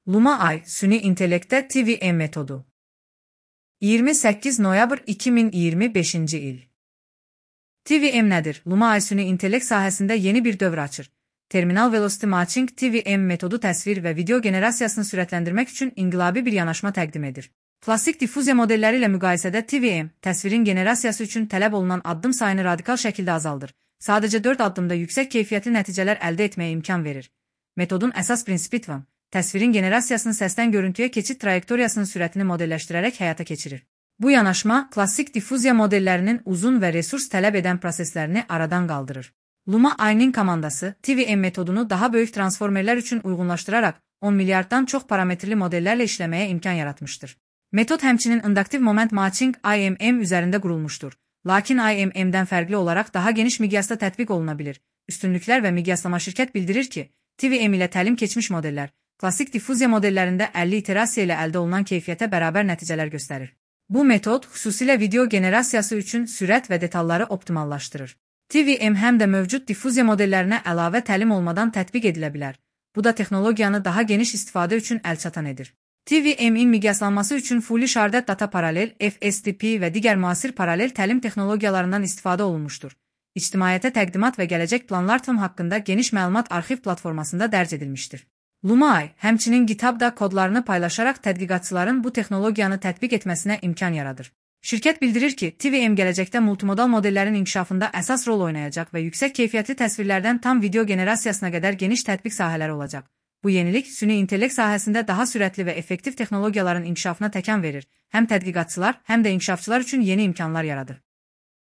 Lumai süni intellektdə TVM metodu. 28 noyabr 2025 il. TVM nədir? Lumai süni intellekt sahəsində yeni bir dövr açır. Terminal Velocity Matching TVM metodu təsvir və video generasiyasını sürətləndirmək üçün inqilabi bir yanaşma təqdim edir. Klassik diffuziya modelləri ilə müqayisədə TVM, təsvirin generasiyası üçün tələb olunan addım sayını radikal şəkildə azaldır. Sadəcə 4 addımda yüksək keyfiyyətli nəticələr əldə etməyə imkan verir. Metodun əsas prinsipi TVM, təsvirin generasiyasını səsdən görüntüyə keçid trayektoriyasının sürətini modelləşdirərək həyata keçirir. Bu yanaşma, klassik diffuziya modellərinin uzun və resurs tələb edən proseslərini aradan qaldırır. Lumai'nin komandası, TVM metodunu daha böyük transformerlər üçün uyğunlaşdıraraq 10 milyarddan çox parametrli modellərlə işləməyə imkan yaratmışdır. Metod həmçinin induktiv moment matching IMM üzərində qurulmuşdur. Lakin IMM-dən fərqli olaraq daha geniş miqyasda tətbiq oluna bilir. Üstünlüklər və miqyaslama şirkət bildirir ki, TVM ilə təlim keçmiş modellər, klassik diffuziya modellərində 50 iterasiya ilə əldə olunan keyfiyyətə bərabər nəticələr göstərir. Bu metod xüsusilə video generasiyası üçün sürət və detalları optimallaşdırır. TVM həm də mövcud diffuziya modellərinə əlavə təlim olmadan tətbiq edilə bilər. Bu da texnologiyanı daha geniş istifadə üçün əlçatan edir. TVM-in miqyaslanması üçün Fully Sharded Data Parallel, FSTP və digər müasir paralel təlim texnologiyalarından istifadə olunmuşdur. İctimaiyyətə təqdimat və gələcək planlar TVM haqqında geniş məlumat arxiv platformasında dərc edilmişdir. Lumai, həmçinin GitHub-da kodlarını paylaşaraq tədqiqatçıların bu texnologiyanı tətbiq etməsinə imkan yaradır. Şirkət bildirir ki, TVM gələcəkdə multimodal modellərin inkişafında əsas rol oynayacaq və yüksək keyfiyyətli təsvirlərdən tam video generasiyasına qədər geniş tətbiq sahələri olacaq. Bu yenilik, süni intellekt sahəsində daha sürətli və effektiv texnologiyaların inkişafına təkan verir, həm tədqiqatçılar, həm də inkişafçılar üçün yeni imkanlar yaradır.